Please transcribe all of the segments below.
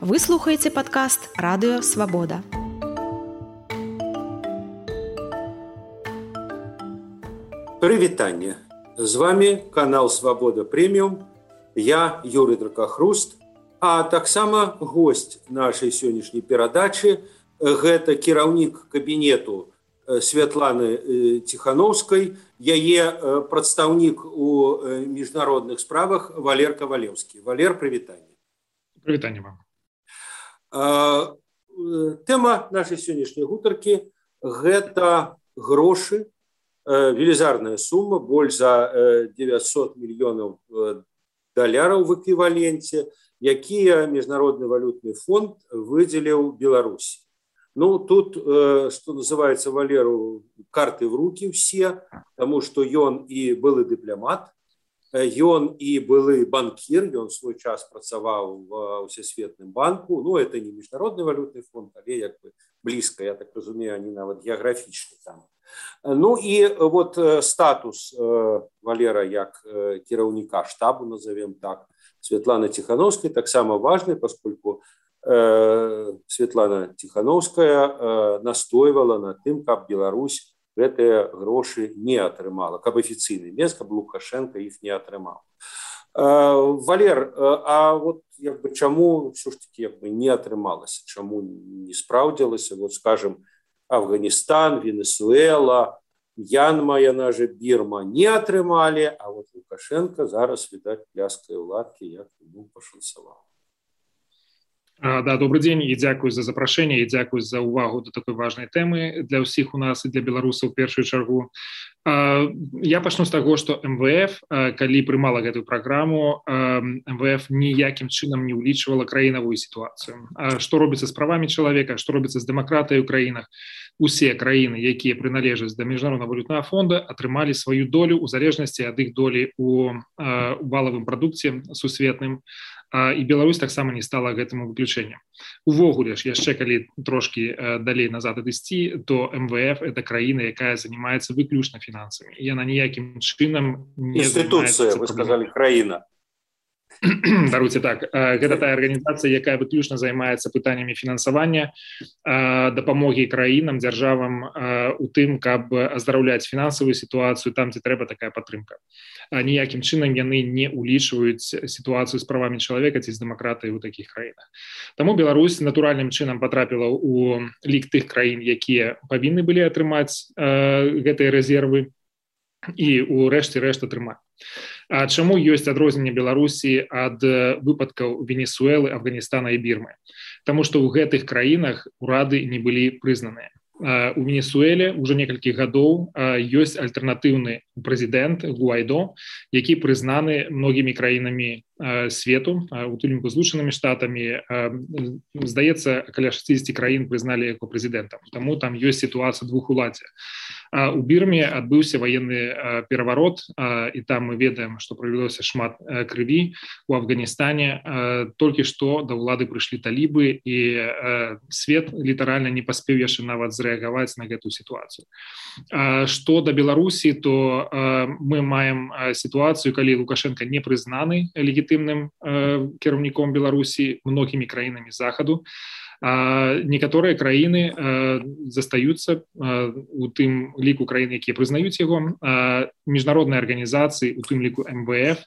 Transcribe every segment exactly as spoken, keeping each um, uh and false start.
Вы слухаеце падкаст Радыё Свабода. Прывітанне. З вами канал Свабода Прэміум. Я Юрый Дракахруст, а таксама госць нашай сённяшняй перадачы гэта кіраўнік кабінету Святланы Ціхановскай, яе прадстаўнік у міжнародных справах Валер Кавалеўскі. Валер, прывітанне. Прывітанне вам. Тэма нашай сённяшняй гутаркі гэта грошы, велізарная сума, больш за дзевяцьсот мільёнаў даляраў в эквіваленце, якія Міжнародны валютны фонд выдзеліў Беларусі. Ну, тут, что называется, Валеру, карты в руки все, потому что ён и былы дыпламат, ён и былы банкир, ён свой час працаваў в Всесветным банку, ну, это не Международный валютный фонд, але як бы близко, я так разумею, они нават географичны там. Ну, и вот статус Валера як кіраўніка штабу, назовем так, Светланы Тихановской, так само важный, поскольку Светлана Тихановская настойвала на тым, каб Беларусь гэтыя грошы не атрымала, каб афіцыйны мест, каб Лукашенко іх не атрымаў. Валер, а вот як бы чаму все ж таки як бы не атрымалася, чаму не спраўдзілася, вот скажем, Афганистан, Венесуэла, Мьянма, яна же Бирма не атрымалі, а вот Лукашенко зараз, відаць, пляскае ў ладкі, як ему пашанцавала. Да, добрый день и дзякую за запрашэнне, и дзякую за увагу до такой важной темы для ўсіх у нас и для беларусаў у першую чаргу. Я пачну з таго, што эм вэ эф, калі прымала гэтую праграму, эм вэ эф ніякім чынам не ўлічвала краінавую сітуацыю. Што робіцца з правамі чалавека, што робіцца з дэмакратыяй у краінах. Усе краіны, якія прыналежаць да Міжнароднага валютнага фонда, атрымалі сваю долю ў залежнасці ад іх долі ў валавым прадукце сусветным. І Беларусь таксама не стала гэтаму выключэннем. Увогуле ж, яшчэ калі трошкі далей назад адысці, то эм вэ эф – это краіна, якая занимаецца выключна фінансамі. І яна ніякім чынам не Інстытуцыя, вы сказали, краіна. Даруйце так. Гэта тая арганізацыя, якая выключна займаецца пытаннямі фінансавання, дапамогі краінам, дзяржавам у тым, каб аздараўляць фінансавую сітуацыю там, дзе трэба такая падтрымка. Ніякім чынам яны не ўлічваюць сітуацыю з правамі чалавека ці з дэмакратыяй у такіх краінах. Таму Беларусь натуральным чынам патрапіла ў лік тых краін, якія павінны былі атрымаць гэтыя рэзервы і ў рэшце рэшт атрымаць. А чаму ёсць адрозненне Беларусі ад выпадкаў Венесуэлы, Афганістана і Бірмы? Таму што ў гэтых краінах урады не былі прызнаныя. У Венесуэле ўжо некалькі гадоў ёсць альтэрнатыўны прэзідэнт Гуайдо, які прызнаны многімі краінамі свету, у тым ліку Злучанымі Штатамі. Здаецца, каля шэсцідзесят краін прызналі яго прэзідэнтам. Таму там ёсць сітуацыя двухуладдзя. У Бірме адбыўся ваенны пераварот, і там мы ведаем, што пролілося шмат крыві. У Афганістане толькі што да ўлады прыйшлі талібы, і свет літаральна не паспеў яшчэ нават зрэагаваць на гэтую сітуацыю. Што да Беларусі, то мы маем сітуацыю, калі Лукашенко не прызнаны легітымным кіраўніком Беларусі многімі краінамі захаду. Некаторыя краіны застаюцца у тым ліку краін, якія прызнаюць яго. Міжнародныя арганізацыі, у тым ліку эм вэ эф,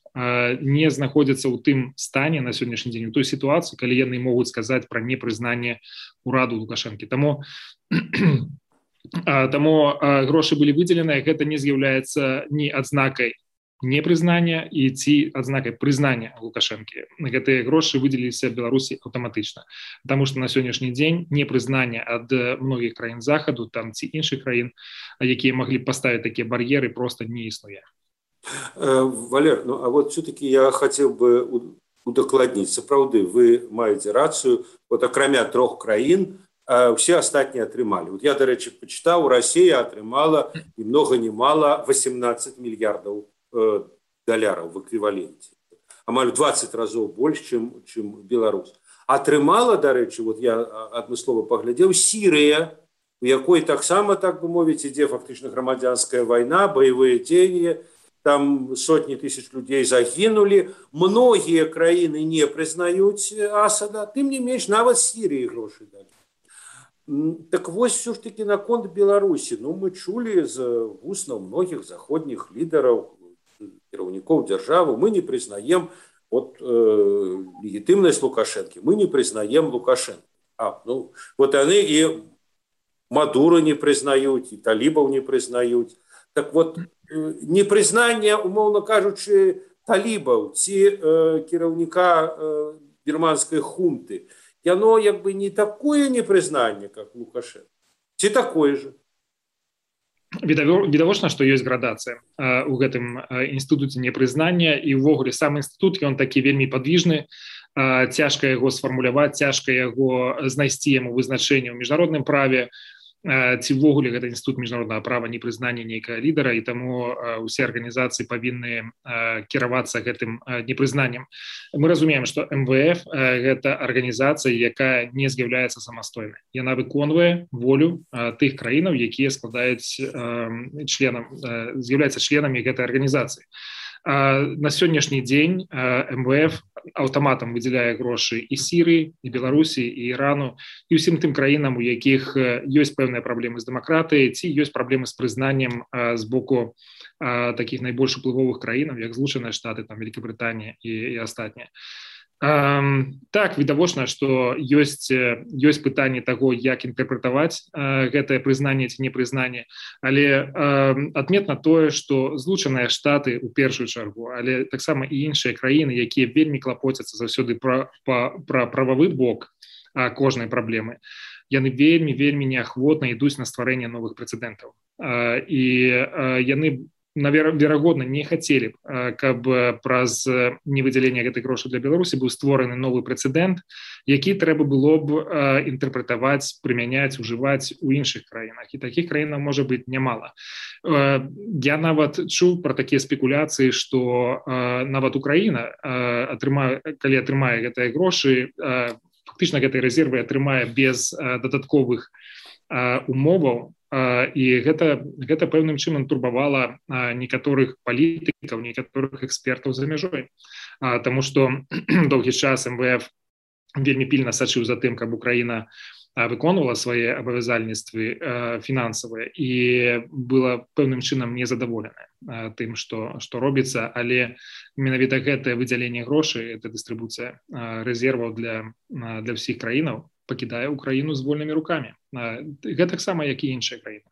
не знаходзяцца ў тым стане на сённяшні дзень, у той сітуацыі, калі яны могуць сказаць пра непрызнанне ўраду Лукашэнкі. Таму Таму грошы былі выдзеленыя, гэта не з'яўляецца ні адзнакай непрызнання і ці адзнакай прызнання Лукашэнкі. Гэтыя грошы выдзеліліся Беларусі аўтаматычна. Таму што на сённяшні дзень непрызнання ад многіх краін захаду, там ці іншых краін, якія маглі паставіць такія бар'еры, проста не існуе. Валер, ну а вот все-таки я хотел бы удакладніць. Сапраўды, вы маеце рацыю, вот акрамя трох краін, все астатнія атрымалі. Вот я, да рэчы, пачытаў, Расія атрымала і много не мала восемнадцать мільярдаў даляраў в эквіваленце. Амаль двадцать разоў больш, чым, чым Беларусь. Атрымала, да рэчы, вот я адмыслова паглядзеў, Сірыя, у якой таксама, так бы мовіць, ідзе фактычна грамадзянская вайна, баявыя дзеянні, там сотні тысяч людей загінулі, многія краіны не прызнаюць Асада, тым не менш нават Сірыі грошы далі. Так вось все ж таки наконт Беларусі. Ну, мы чулі з вуснаў многіх заходніх лідараў, кіраўнікоў дзяржавы, мы не прызнаем вот, э, легітымнасць Лукашэнкі, мы не прызнаем Лукашэнкі. А, ну, вот яны і Мадура не прызнаюць, і талібаў не прызнаюць. Так вот, непрызнанне, умоўна кажучы, талібаў ці э, кіраўніка э, бірманскай хунты, яно як бы не такое непрызнанне, как Лукашенко, ці такое же. Відавочна, што ёсць градацыя э, у гэтым э, інстытуце непрызнання, і ўвогуле сам інстытут, ён такі вельмі падвіжны, э, цяжка яго сфармуляваць, цяжка яго знайсці яму вызначэнне ў міжнародным праве, ці ўвогуле гэта інстытут міжнароднага права непрызнання нейкага лідара, і таму усе арганізацыі павінны кіравацца гэтым непрызнаннем. Мы разумеем, што эм вэ эф гэта арганізацыя, якая не з'яўляецца самастойнай. Яна выконвае волю тых краінаў, якія складаюць членам, з'яўляюцца членамі гэтай арганізацыі. На сённяшні дзень эм вэ эф аўтаматам выдзяляе грошы і Сірыі, і Беларусі, і Ірану, і ўсім тым краінам, у якіх ёсць пэўныя праблемы з дэмакратыяй, ці ёсць праблемы з прызнаннем з боку такіх найбольш уплывовых краінаў, як Злучаныя Штаты, там, Великабрытанія і, і астатнія. Так, відавочна, што ёсць, ёсць пытанне таго, як інтэрпрэтаваць гэтае прызнанне ці непрызнанне, але адметна тое, што Злучаныя Штаты ў першую чаргу, але таксама і іншыя краіны, якія вельмі клапоцяцца заўсёды пра, пра, пра прававы бок кожнай праблемы, яны вельмі-вельмі неахвотна ідуць на стварэнне новых прэцэдэнтаў. І яны верагодна не хацелі б, каб праз невыдзяленне гэтай грошай для Беларусі быў створаны новы прэцэдэнт, які трэба было б інтэрпрэтаваць, прымяняць, ужываць у іншых краінах. І такіх краінаў можа быць нямала. Я нават чуў пра такія спекуляцыі, што нават Украіна, калі атрымае гэтыя грошы, фактычна гэтыя рэзервы атрымае без дадатковых умоваў, і гэта, гэта пэўным чынам турбавала некаторых палітыкаў, некаторых экспертаў за мяжой. Таму што доўгі час эм вэ эф вельмі пільна сачыў за тым, каб Украіна выконвала свае абавязальніцтвы фінансавыя і была пэўным чынам незадаволеная тым, што, што робіцца, але менавіта гэтае выдзяленне грошай, гэта дыстрыбуцыя рэзерваў для, для ўсіх краінаў, пакідае Украіну з вольнымі рукамі. Гэта таксама, як і іншыя краіны.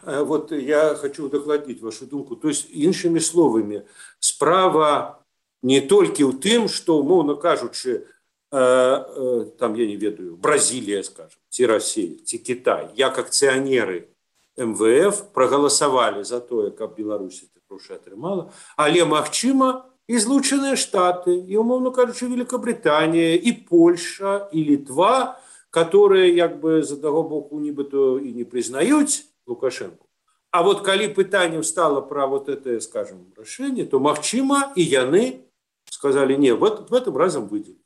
Вот я хочу удакладніць вашу думку. То есть, іншымі словамі, справа не толькі ў тым, што, умоўна кажучы, там, я не ведаю, Бразілія, скажем, ці Расія, ці Кітай, як акцыянеры эм вэ эф прагаласавалі за тое, каб Беларусі грошы атрымала, але, магчыма, і Злучаныя Штаты, і, умоўно кажучы, Великабритания, и Польша, и Литва, которые, як бы, з аднаго боку, нібыто і не прызнаюць Лукашенко. А вот калі пытаннем стало про вот это, скажем, рашэнне, то, магчыма, і яны сказали, не, в этом разом выделить.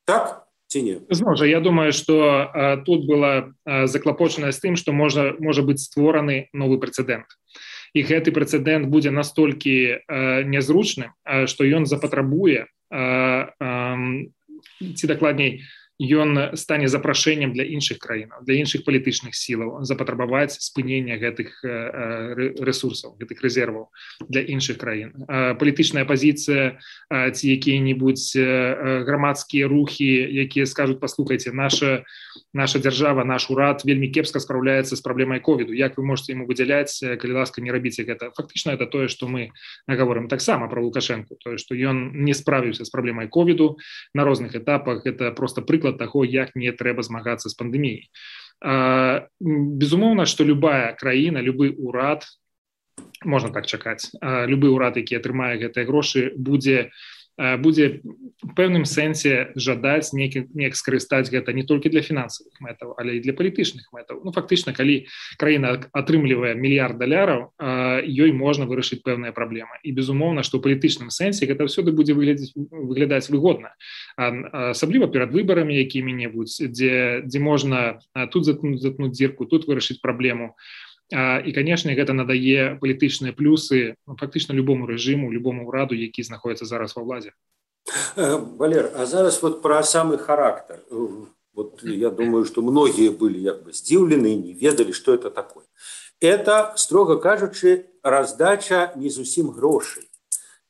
Так ці не? Зноў жа, я думаю, што а, тут была а, заклапочаная з тым, што можа, можа быць створаны новы прэцэдэнт. І гэты прэцэдэнт будзе настолькі э, нязручным, э, што ён запатрабуе, э, э, ці дакладней, ён стане запрашэннем для іншых краінаў, для іншых палітычных сілаў, запатрабаваць спынення гэтых э, рэсурсаў, гэтых рэзерваў для іншых краін. Э, палітычная пазіцыя э, ці якія-небудзь э, грамадскія рухі, якія скажуць, паслухайце, наша, наша дзяржава, наш урад вельмі кепска спраўляецца з праблемай ковіду. Як вы можете яму выдзяляць, калі ласка, не рабіце гэта? Фактычна, это тое, што мы гаворым таксама пра Лукашэнку, тое, што ён не справіўся з праблемай ковіду на розных этапах. Это просто прыклад таго, як не трэба змагацца з пандэміяй. Безумоўна, што любая краіна, любы ўрад, можна так чакаць, любы ўрад, які атрымае гэтыя грошы, будзе будзе в пэўным сэнсе жадаць неяк, неяк скарыстаць гэта не толькі для фінансавых мэтаў, але і для палітычных мэтаў. Ну, фактычна, калі краіна атрымлівае мільярд даляраў, ёй можна вырашыць пэўныя праблемы. І, безумоўна, што ў палітычным сэнсе гэта ўсюды будзе выглядаць, выглядаць выгодна. Асабліва перад выбарамі якімі-небудзь, дзе, дзе можна тут заткнуць, заткнуць дзірку, тут вырашыць праблему. і канешне гэта надае палітычныя плюсы фактычна любому рэжыму, любому ўраду, які знаходіцца зараз ва ўладзе. Валер, а зараз вот про самый характер. Вот я думаю, что многие были как бы здивлены, не ведали, что это такое. Это, строго кажучи, раздача не зусім грошей.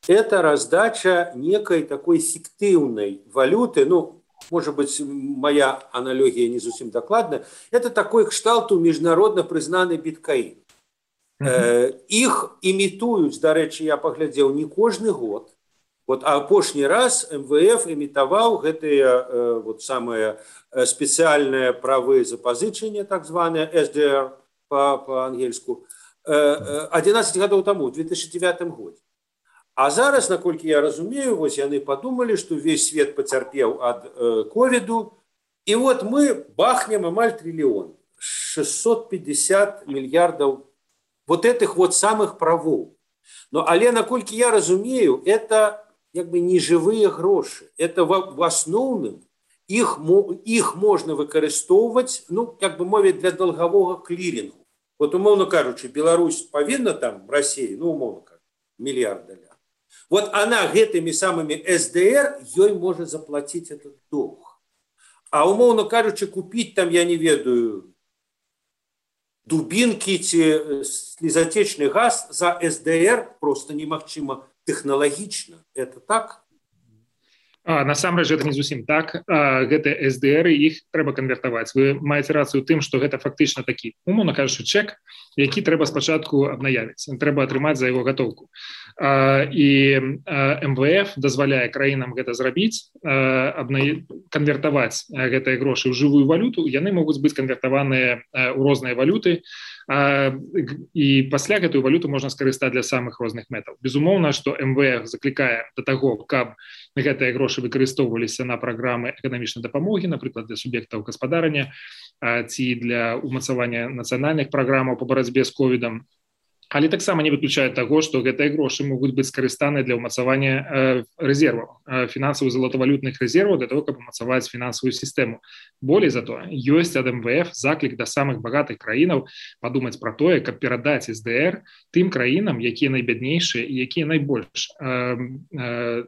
Это раздача некой такой фиктивной валюты, ну, может быть, моя аналогия не совсем докладная, это такой кшталту международно признанный биткоин. Mm-hmm. Э, их имитуют, до речи, я поглядел, не каждый год. Вот, а апошні раз эм вэ эф имитовал гэтые э, вот самые специальные правы запозычения, так званые эс дэ эр по, по-ангельску, э, одиннадцать годов тому, в две тысячи девятом году. А зараз, наколькі я разумею, вось яны подумали, что весь свет потерпел от э, ковиду, и вот мы бахнем амаль триллион, шестьсот пятьдесят миллиардов вот этих вот самых правов. Но, але, наколькі я разумею, это как бы не живые гроши. Это в, в основном их, их можно выкарыстоўваць, ну, как бы мовить, для долгового клирингу. Вот, умовно кажучи, Беларусь повинна там в России, ну, умовно кажучи, миллиард долларов. Вот она гэтыми самыми эс дэ эр ей может заплатить этот долг. А умовно кажучи, купить там, я не ведаю, дубинки, ці слезотечный газ за эс дэ эр просто немагчыма технологично. Это так? А, насамрэч гэта не зусім так. А, гэта эс дэ эр, іх трэба канвертаваць. Вы маеце рацыю тым, што гэта фактычна такі, умоўна кажучы, чэк, які трэба спачатку абнаявіць. Трэба атрымаць за яго гатоўку. А, і а, эм вэ эф дазваляе краінам гэта зрабіць, а, абна... канвертаваць гэтыя грошы ў жывую валюту. Яны могуць быць канвертаваныя ў розныя валюты, а, і пасля гэтую валюту можна скарыстаць для самых розных мэтаў. Безумоўна, што эм вэ эф заклікае да таго, каб гэтыя грошы выкарыстоўваліся на праграмы эканамічнай дапамогі, напрыклад, для суб'ектаў гаспадарання ці для ўмацавання нацыянальных праграмаў па барацьбе з ковідам. Але таксама не выключае таго, што гэтыя грошы могуць быць скарыстаныя для ўмацавання рэзерваў, фінансавых залатавалютных рэзерваў, для того, каб умацаваць фінансавую сістэму. Болей за то, ёсць ад эм вэ эф заклік да самых багатых краінаў падумаць пра тое, каб перадаць эс дэ эр тым краінам, якія найбяднейшыя і якія найбольш э, э,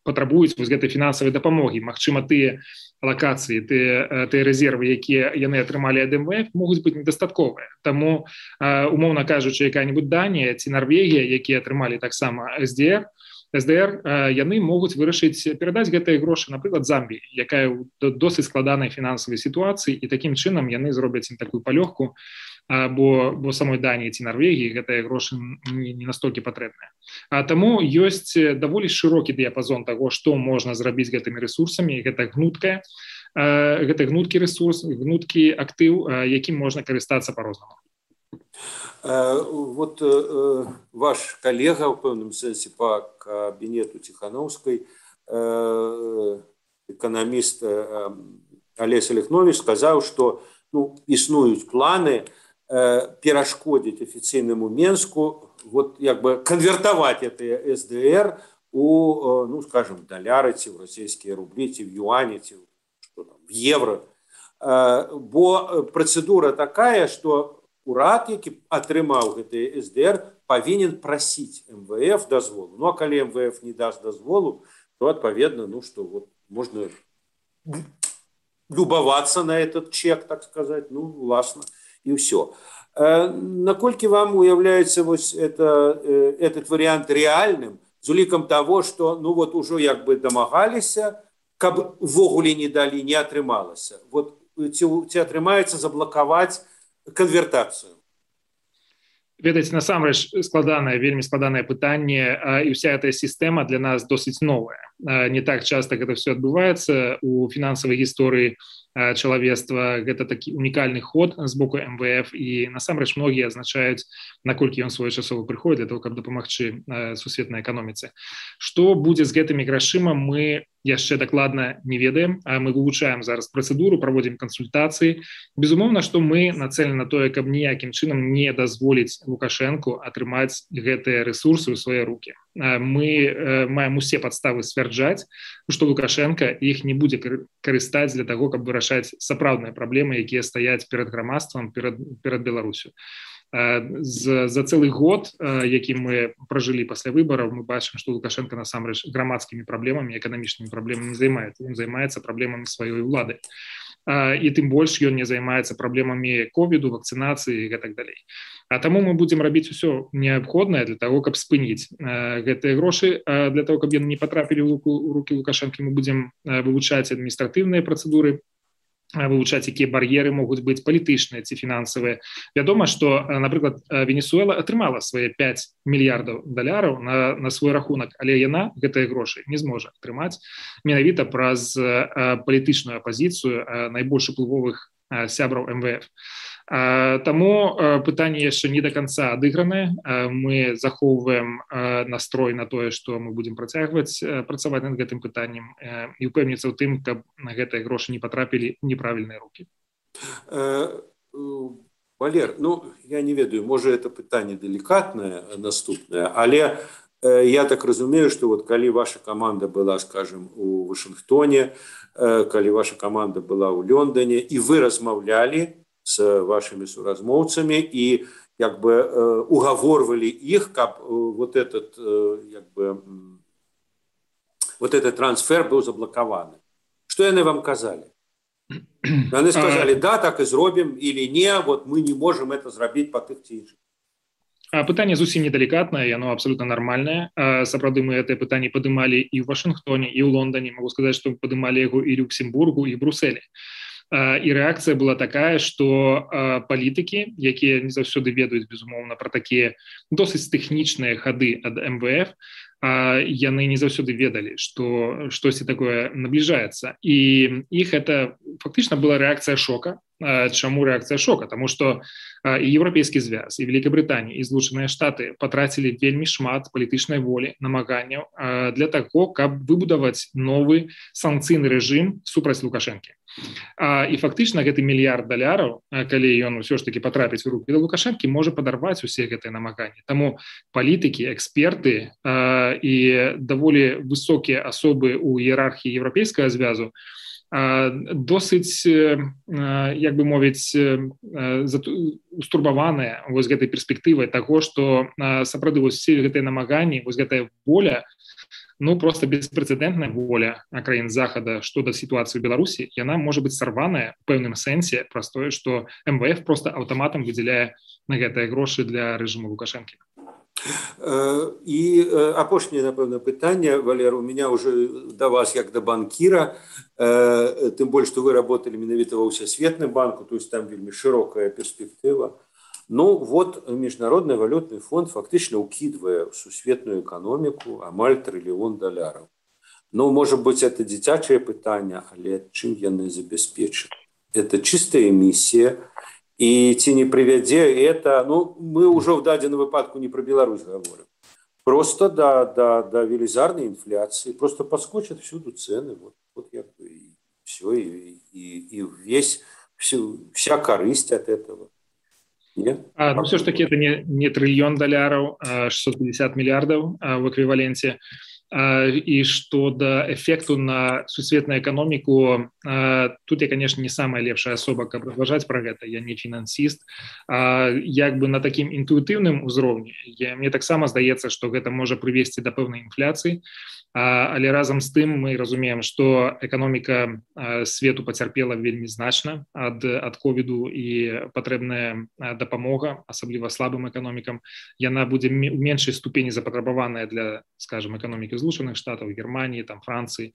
патрабуюць вось гэтай фінансавай дапамогі. Магчыма, тыя лакацыі, тыя, тыя рэзервы, якія яны атрымалі ад эм вэ эф, могуць быць недастатковыя. Таму, умоўна кажучы, якая-нибудь Данія ці Нарвегія, якія атрымалі таксама эс дэ эр, эс дэ эр, яны могуць вырашыць перадаць гэтыя грошы, напрыклад, Замбіі, якая ў досыць складанай фінансавай сітуацыі, і такім чынам яны зробяць ім такую палёгку, бо, бо самой Даніі ці Нарвегіі гэтыя грошы не, не настолькі патрэбныя. А таму ёсць даволі шырокі дыяпазон таго, што можна зрабіць гэтымі рэсурсамі, гэта гнуткая, гэта гнуткі рэсурс, гнуткі актыў, якім можна карыстацца па-рознаму. Вот э, ваш коллега, в пэўным сэнсе, по кабинету Тихановской, э, экономист э, Олесь Олехнович сказал, что ну, існуюць планы э, перашкодзіць афіцыйнаму Менску, вот як бы конвертовать это эс дэ эр у, ну, скажем, доллары, ці в российские рубли, ці в юани, ці что там, в евро. Э, бо процедура такая, что урад, які атрымаў гэты эс дэ эр, павінен прасіць эм вэ эф дазволу. Ну, а калі эм вэ эф не даст дазволу, то, адпаведна, ну, что вот можно любоваться на этот чек, так сказать, ну, власна, и все. Э, наколькі вам уяўляецца вось это, э, этот вариант реальным, з улікам того, что, ну, вот ужо як бы дамагаліся, каб увогуле не далі, не атрымалася. Вот ці, ці атрымаецца заблокаваць конвертацию? Ведаеце, насамрэч складанае, вельмі складанае пытанне, і ўся эта сістэма для нас досыць новая. Не так часта гэта все адбываецца у фінансавай гісторыі чалавецтва. Гэта такі унікальны ход з боку эм вэ эф, і насамрэч многія азначаюць, наколькі ён своечасова прыходзіць для того, каб дапамагчы сусветнай эканоміцы. Што будзе з гэтымі грашыма, мы яшчэ дакладна не ведаем. Мы вывучаем зараз працэдуру, праводзім кансультацыі. Безумоўна, што мы нацелены на тое, каб ніякім чынам не дазволіць Лукашэнку атрымаць гэтыя рэсурсы ў свае рукі. Мы маем усе падставы сцвярджаць, што Лукашенко іх не будзе карыстаць для таго, каб вырашаць сапраўдныя праблемы, якія стаяць перад грамадствам, перад, перад Беларусю. За, за цэлы год, які мы пражылі пасля выбараў, мы бачым, што Лукашенко насамрэч грамадскімі праблемамі, эканамічнымі праблемамі не займаецца. Ён займаецца праблемамі сваёй улады. І тым больш ён не займаецца праблемамі ковіду, вакцынацыі і гэтак далей. А таму мы будзем рабіць усё неабходнае для таго, каб спыніць гэтыя грошы. Для таго, каб яны не патрапілі ў рукі Лукашэнкі, мы будзем вывучаць адміністратыўныя працэдуры, вывучаць, якія бар'еры могуць быць палітычныя ці фінансавыя. Вядома, што, напрыклад, Венесуэла атрымала свае пяць мільярдаў даляраў на, на свой рахунак, але яна гэтыя грошы не зможа атрымаць менавіта праз палітычную апазіцыю найбольш уплывовых сябраў эм вэ эф. Таму пытанне яшчэ не до конца адыгранае. Мы захоўваем настрой на тое, што мы будзем працягваць працаваць над гэтым пытаннем і упэўніцца ў тым, каб на гэтыя грошы не патрапілі ў неправільныя рукі. Валер, ну я не ведаю, можа это пытанне делікатнае наступнае, але я так разумею, што вот калі ваша каманда была, скажем, у Вашынгтоне, калі ваша каманда была ў Лондоне, і вы размаўлялі с вашими суразмоўцамі і як бы угаворвалі іх, каб вот этот як бы вот этот трансфер быў заблокаваны. Што яны вам казалі? Яны сказалі, да, так і зробім, или не, вот мы не можем это зрабіць па тых ці іншых. Пытанне зусім недалікатнае, яно абсолютно нармальнае. Сапраўды мы гэтае пытанне падымалі і ў Вашынгтоне, і ў Лондоне. Могу сказаць, што падымалі яго і ў Люксембургу, і ў Брусэлі. І рэакцыя была такая, што палітыкі, якія не заўсёды ведаюць, безумоўна, пра такія досыць тэхнічныя хады ад эм вэ эф, яны не заўсёды ведалі, што штосьці такое набліжаецца. І іх это фактычна была рэакцыя шока. Чаму рэакцыя шока? Таму што і Еўрапейскі звяз, і Великабрытанія, і Злучаныя Штаты патрацілі вельмі шмат палітычнай волі, намаганняў для таго, каб выбудаваць новы санкцыйны рэжым супраць Лукашэнкі. І фактычна гэты мільярд даляраў, калі ён усё ж таки потрапіць у рукі да Лукашэнкі, можа падарваць усе гэтыя намаганні. Таму палітыкі, эксперты і даволі высокія асобы ў іерархіі Еўрапейскага звязу досыць, як бы мовіць, устурбаваныя вось гэтай перспектывай таго, што сапраўды вось усе гэтыя намаганні, вось гэтая воля, ну просто беспрэцэдэнтная воля краін Захада што да сітуацыі ў Беларусі, яна можа быць сарваная ў пэўным сэнсе праз тое, што эм вэ эф просто аўтаматам выдзяляе на гэтыя грошы для рэжыму Лукашэнкі. І апошняе, напэўна, пытанне, Валер, у меня уже да вас як да банкіра, тым больш, што вы работалі менавіта ва ўсесветным банку, то есть там вельмі шырокая перспектыва. Ну вот Міжнародны валютны фонд фактычна ўкідвае ў сусветную эканоміку амаль трыльён даляраў. Ну, можа быць, это дзіцячае пытанне, але чым яны забяспечаць? Это чыстая эмісія. І ці не прывядзе это, ну, мы ўжо в дадзеным выпадку не пра Беларусь гаворым, просто да, да, да велізарнай інфляцыі, просто падскочаць всюду цены, вот, вот як бы і все, і, і, і весь, всю, вся карысць от этого. Не? А, ну, все ж таки это не, не триллион долларов, а шестьсот пятьдесят миллиардов а, в эквиваленте. И что до эффекту на сусветную экономику, тут я, конечно, не самая лепшая особа, как разважаць про это, я не финансист, як бы на таким интуитивным узроўні, мне таксама здаецца, что гэта можа привести до пэўнай инфляции, але разом з тым мы разумеем, что экономика свету пацярпела вельмі значна ад, ад ковіду, і патрэбная дапамога, асабліва слабым экономикам, яна будзе в меншай ступені запатрабаваная для, скажем, экономики Злучаных Штатаў, Германии, там, Франции.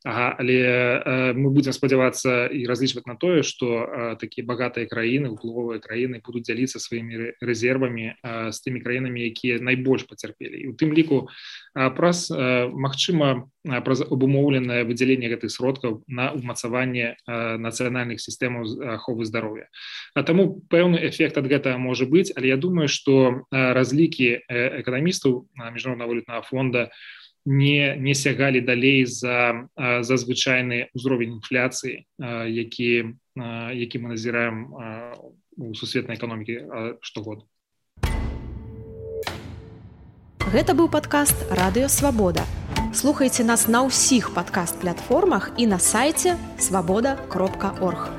Ага, але э, мы будем спадзявацца і разлічваць на тое, што э, такія багатыя краіны, уплывовыя краіны будуць дзяліцца сваімі рэзервамі э, з тымі краінамі, якія найбольш пацярпелі. І у тым ліку э, праз, э, магчыма, э, праз абумоўленае выдзяленне гэтых сродкаў на ўмацаванне э, нацыянальных сістэмаў аховы здароўя. А таму пэўны эфект ад гэтага можа быць, але я думаю, што э, разлікі э, эканамістаў Міжнароднага валютнага фонда не, не сягалі далей за, за звычайны ўзровень інфляцыі, які, які мы назіраем у сусветнай эканомікі штогод. Гэта быў падкаст радыё Свабода. Слухайце нас на ўсіх падкаст-платформах і на сайце свабода кропка орг.